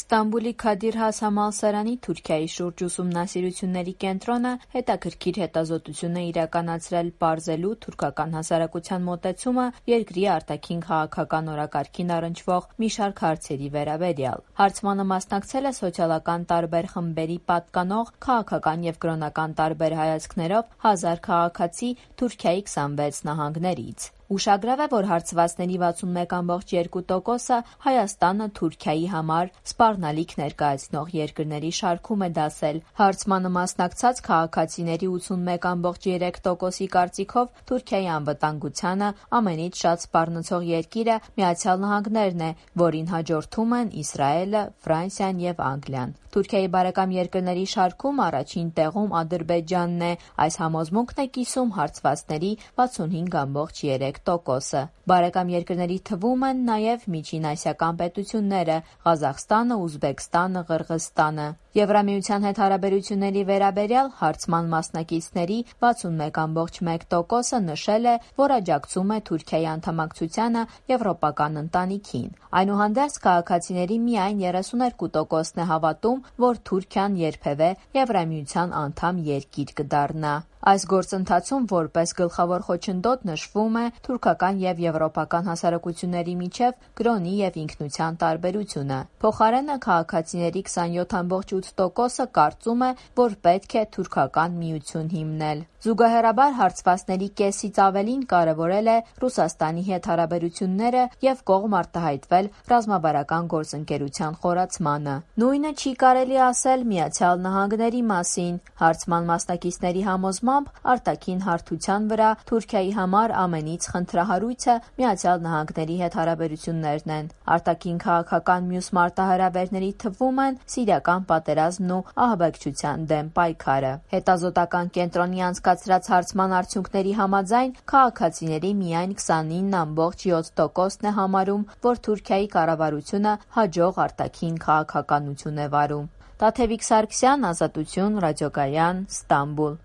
Ստամբուլի Քադիր Has համալսարանի Թուրքիայի շուրջ ուսումնասիրությունների կենտրոնը հետաքրքիր հետազոտություն է իրականացրել պարզելու թուրքական հասարակության մոտեցումը երկրի արտաքին քաղաքական օրակարգին առնչվող մի շարք հարցերի վերաբերյալ։ Հարցմանը մասնակցել է սոցիալական տարբեր խմբերի պատկանող քաղաքական եւ կրոնական տարբեր հայացքներով 1000 քաղաքացի Թուրքիայի 26 նահանգներից։ Ուշագրավ է, որ հարցվածների 61,2%-ը Հայաստանը Թուրքիայի համար սպառնալիք ներկայացնող երկրների շարքում է դասել։ Հարցմանը մասնակցած քաղաքացիների 81,3%-ի կարծիքով Թուրքիայի անվտանգությանը ամենից շատ սպառնացող երկիրը Միացյալ Նահանգներն է, որին հաջորդում են Իսրայելը, Ֆրանսիան եւ Անգլիան։ Թուրքիայի բարեկամ երկրների շարքում առաջին տեղում Ադրբեջանն է։ Այս համոզմունքն է կիսում հարցվածների 65,3%-ը։ Բարեկամ երկրների թվում են նաև միջինասիական պետությունները՝ Ղազախստանը, Ուզբեկստանը, Ղրղզստանը։ Եվրամիության հետ հարաբերությունների վերաբերյալ հարցման մասնակիցների 61,1%-ը նշել է, որ աջակցում է Թուրքիայի անդամակցությանը եվրոպական ընտանիքին։ Այնուհանդերձ քաղաքացիների միայն 32%-ն է հավատում, որ Թուրքիան երբևէ Եվրամիության անդամ երկիր կդառնա։ Այս գործընթացում որպես գլխավոր խոչընդոտ նշվում է թուրքական եւ եվրոպական հասարակությունների միջև կրոնի եւ ինքնության տարբերությունը։ Փոխարենը քաղաքացիների 27,8%-ը կարծում է, որ պետք է թուրքական միություն հիմնել։ Զուգահեռաբար հարցվածների կեսից ավելին կարևորել է Ռուսաստանի հետ հարաբերությունները եւ կողմ արտահայտվել ռազմավարական գործընկերության խորացմանը։ Նույնը չի կարելի ասել Միացյալ Նահանգների մասին։ Հարցման մասնակիցների համոզմամբ արտաքին հարթության վրա Թուրքիայի համար ամենից խնդրահարույցը Միացյալ Նահանգների հետ հարաբերություններն են։ Արտաքին քաղաքական մյուս մարտահրավերների թվում են սիրիական պատերազմն ու ահաբեկչության դեմ պայքարը։ Հետազոտական կենտրոնի անցկացրած հարցման արդյունքների համաձայն քաղաքացիների միայն 29,7%-ն է համարում, որ Թուրքիայի կառավարությունը հաջող արտաքին քաղաքականություն է վարում։ Տաթևիկ Սարգսյան, Ազատություն, Ռադիոգայան, Ստամբուլ։